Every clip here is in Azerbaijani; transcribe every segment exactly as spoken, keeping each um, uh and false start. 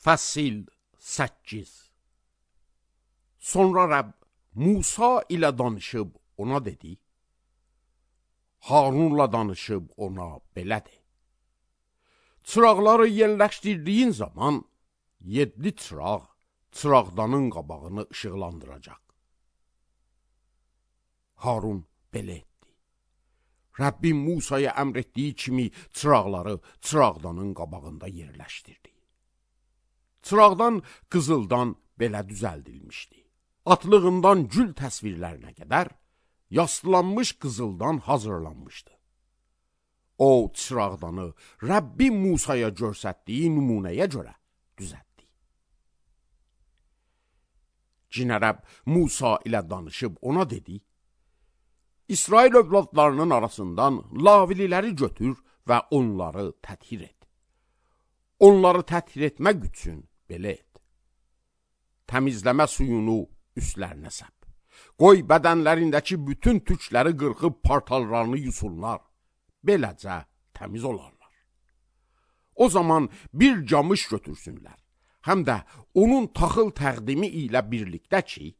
Fəsil səkkiz. Sonra Rəbb Musa ilə danışıb ona dedi, Harunla danışıb ona belədir. Çıraqları yerləşdirdiyin zaman yeddi çıraq çıraqdanın qabağını işıqlandıracaq. Harun belə etdi. Rəbbin Musaya əmr etdiyi kimi çıraqları çıraqdanın qabağında yerləşdirdi. Çıraqdan qızıldan belə düzəldilmişdi. Atlığından gül təsvirlərinə qədər yaslanmış qızıldan hazırlanmışdı. O çıraqdanı Rəbbin Musaya göstərdiyi nümunəyə görə düzəltdi. Cinə Rəbb Musa ilə danışıb ona dedi, İsrail övladlarının arasından lavililəri götür və onları təthir et. Onları təthir etmək üçün belə et. Təmizləmə suyunu üstlərinə səp. Qoy bədənlərindəki bütün tükləri qırxıb partallarını yusunlar. Beləcə təmiz olarlar. O zaman bir camış götürsünlər. Həm də onun taxıl təqdimi ilə birlikdə ki,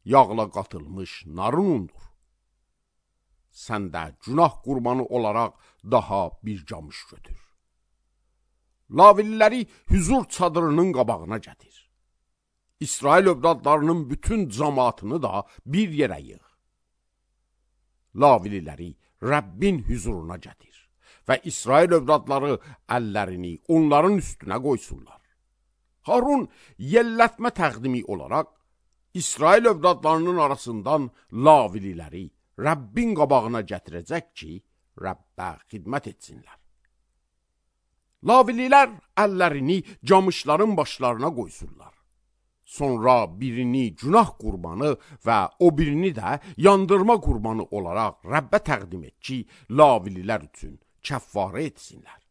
yağla qatılmış narın undur. Sən də günah qurbanı olaraq daha bir camış götür. Lavililəri hüzur çadırının qabağına gətir. İsrail övladlarının bütün cəmaatını da bir yerə yığ. Lavililəri Rəbbin hüzuruna gətir və İsrail övladları əllərini onların üstünə qoysunlar. Harun yellətmə təqdimi olaraq İsrail övladlarının arasından lavililəri Rəbbin qabağına gətirəcək ki, Rəbbə xidmət etsinlər. Lavililər əllərini camışların başlarına qoysunlar. Sonra birini günah qurbanı və o birini də yandırma qurbanı olaraq Rəbbə təqdim et ki, lavililər üçün kəffarə etsinlər.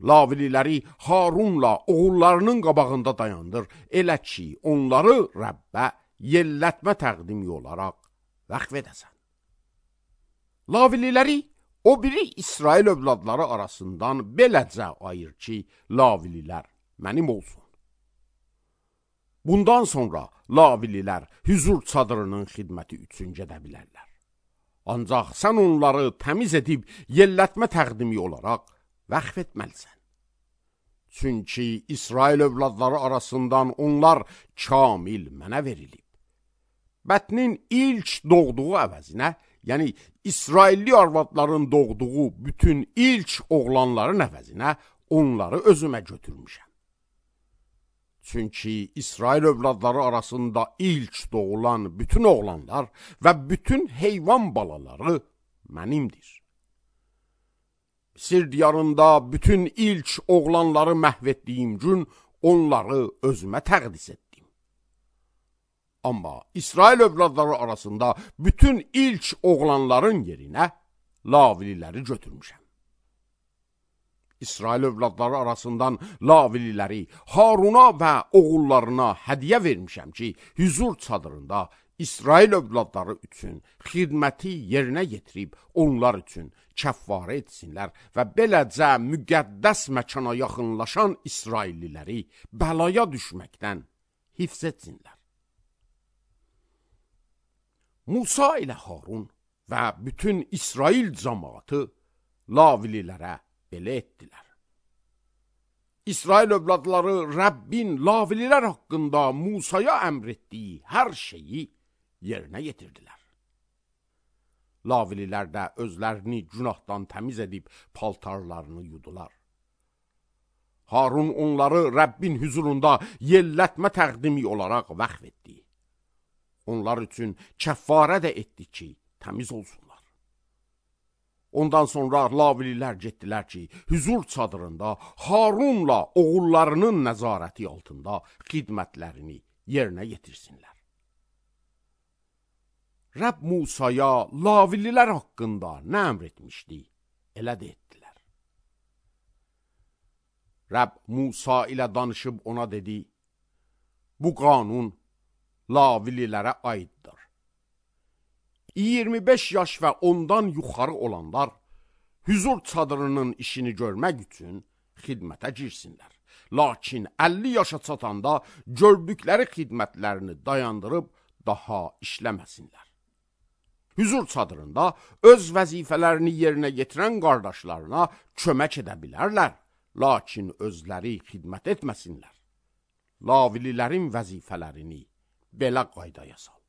Lavililəri Harunla oğullarının qabağında dayandır, elə ki, onları Rəbbə yellətmə təqdimi olaraq vəqf edəsən. Lavililəri o biri İsrail övladları arasından beləcə ayır ki, lavililər mənim olsun. Bundan sonra lavililər hüzur çadırının xidməti üçün gedə bilərlər. Ancaq sən onları təmiz edib yellətmə təqdimi olaraq vəqf etməlisən. Çünki İsrail övladları arasından onlar kamil mənə verilib. Bətnin ilk doğduğu əvəzinə, yəni İsrailli arvadların doğduğu bütün ilk oğlanların əvəzinə onları özümə götürmüşəm. Çünki İsrail övladları arasında ilk doğulan bütün oğlanlar və bütün heyvan balaları mənimdir. Misir diyarında bütün ilk oğlanları məhv etdiyim gün onları özümə təqdis etdim. Amma İsrail övladları arasında bütün ilk oğlanların yerinə lavililəri götürmüşəm. İsrail övladları arasından lavililəri Haruna və oğullarına hədiyyə vermişəm ki, hüzur çadırında İsrail övladları üçün xidməti yerinə yetirib onlar üçün kəffarə etsinlər və beləcə müqəddəs məkana yaxınlaşan İsrailliləri bəlaya düşməkdən hifz etsinlər. Musa ilə Harun və bütün İsrail cəmaatı lavililərə belə etdilər. İsrail övladları Rəbbin lavililər haqqında Musaya əmr etdiyi hər şeyi yerinə yetirdilər. Lavililər də özlərini günahdan təmiz edib paltarlarını yudular. Harun onları Rəbbin hüzurunda yellətmə təqdimi olaraq vəqf etdi. Onlar üçün kəffarə də etdi ki, təmiz olsunlar. Ondan sonra lavililər getdilər ki, hüzur çadırında Harunla oğullarının nəzarəti altında xidmətlərini yerinə yetirsinlər. Rəbb Musaya lavililər haqqında nə əmr etmişdi, elə də etdilər. Rəbb Musa ilə danışıb ona dedi, bu qanun lavililərə aiddir. iyirmi beş yaş və ondan yuxarı olanlar hüzur çadırının işini görmək üçün xidmətə girsinlər Lakin əlli yaşa çatanda gördükləri xidmətlərini dayandırıb daha işləməsinlər. Hüzur çadırında öz vəzifələrini yerinə yetirən qardaşlarına kömək edə bilərlər, lakin özləri xidmət etməsinlər. Lavililərin vəzifələrini belə qaydaya sal.